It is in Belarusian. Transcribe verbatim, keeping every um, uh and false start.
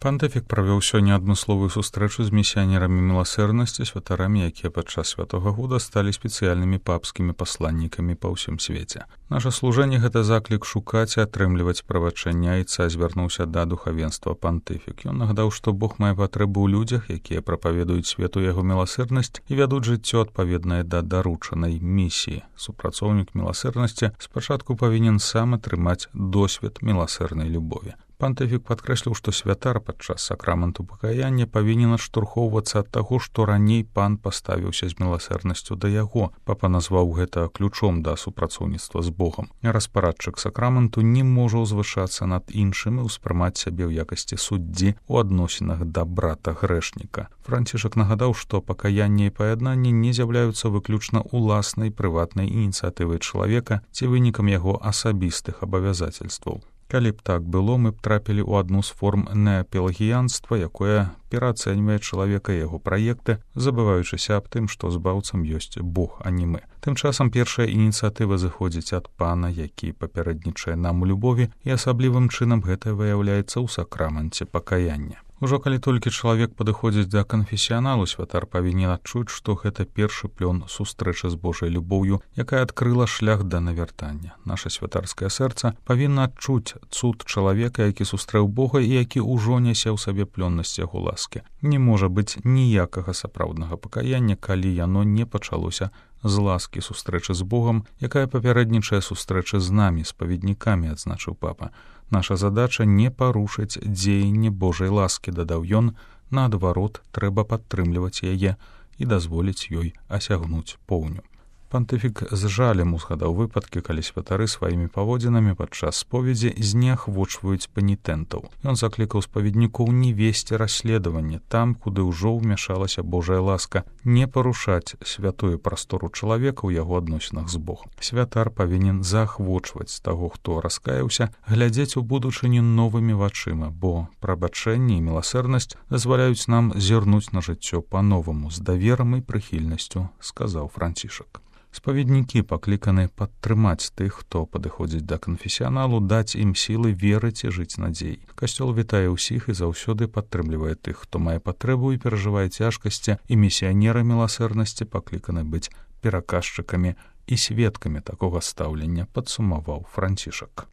Пантыфік правёў сёння адмысловую сустрэчу з місіянерамі міласэрнасці, святарамі, якія падчас святога года сталі спецыяльнымі папскімі пасланнікамі па ўсім свеце. Наша служэнне — гэта заклік шукаць і атрымліваць правачэння, і цар звярнуўся да духавенства пантыфік. Ён нагадаў, што Бог мае патрэбу ў людзях, якія прапаведуюць свету яго міласэрнасць і вядуць жыццё адпаведнае да даручанай місіі. Супрацоўнік міласэрнасці спачатку павінен сам атрымаць досвед міласэрнай любові. Пантыфік падкрэсліў, што святар падчас сакраменту пакаяння павінен адштурхоўвацца ад таго, што раней пан паставіўся з міласэрнасцю да яго. Папа назваў гэта ключом да супрацоўніцтва з Богам. Распарадчык сакраменту не можа ўзвышацца над іншым і ўспрымаць сябе ў якасці суддзі ў адносінах да брата грэшніка. Францішак нагадаў, што пакаянне і паяднанне не з'яўляюцца выключна ўласнай прыватнай ініцыятывай чалавека ці вынікам яго асабістых абавязацельстваў. Калі б так было, мы б трапілі ў адну з форм неапелагіянства, якое пераацэньвае чалавека і яго праекты, забываючыся аб тым, што збаўцам ёсць Бог, а не мы. Тым часам першая ініцыятыва зыходзіць ад пана, які папярэднічае нам у любові, і асаблівым чынам гэта выяўляецца ў сакраменце пакаяння. Ужо калі толькі чалавек падыходзіць да канфесіяналу, святар павінен адчуць, што гэта першы плён сустрэчы з Божай любоўю, якая адкрыла шлях да навяртання. Наша святарскае сэрца павінна адчуць цуд чалавека, які сустрэў Бога і які ўжо нясе ў сабе плённасць яго ласкі. Не можа быць ніякага сапраўднага пакаяння, калі яно не пачалося з ласкі сустрэчы з Богам, якая папярэднічае сустрэчы з намі, спаведнікамі, адзначыў папа. Наша задача не парушыць дзеянне Божай ласкі, дадаў ён, наадварот, трэба падтрымліваць яе і дазволіць ёй асягнуць поўню. Пантыфік з жалем узгадаў выпадкі, калі святары сваімі паводзінамі падчас споведзі зняхвочваюць панітэнтаў. Ён заклікаў спаведнікоў не весці расследаванне там, куды ўжо ўмяшалася Божая ласка, не парушаць святую прастору чалавека ў яго адносінах з Богом. Святар павінен заахвочваць таго, хто раскаяўся, глядзець у будучыню новымі вачыма, бо прабачэнне і міласэрнасць дазваляюць нам зірнуць на жыццё па-новаму з даверам і прыхільнасцю, сказаў Францішак. Спаведнікі пакліканы падтрымаць тых, хто падыходзіць да канфесіяналу, даць ім сілы верыць і жыць надзей. Касцёл вітае ўсіх і заўсёды падтрымлівае тых, хто мае патрэбу і перажывае цяжкасці, і місіянеры міласэрнасці пакліканы быць пераказчыкамі і сведкамі такога стаўлення, падсумаваў Францішак.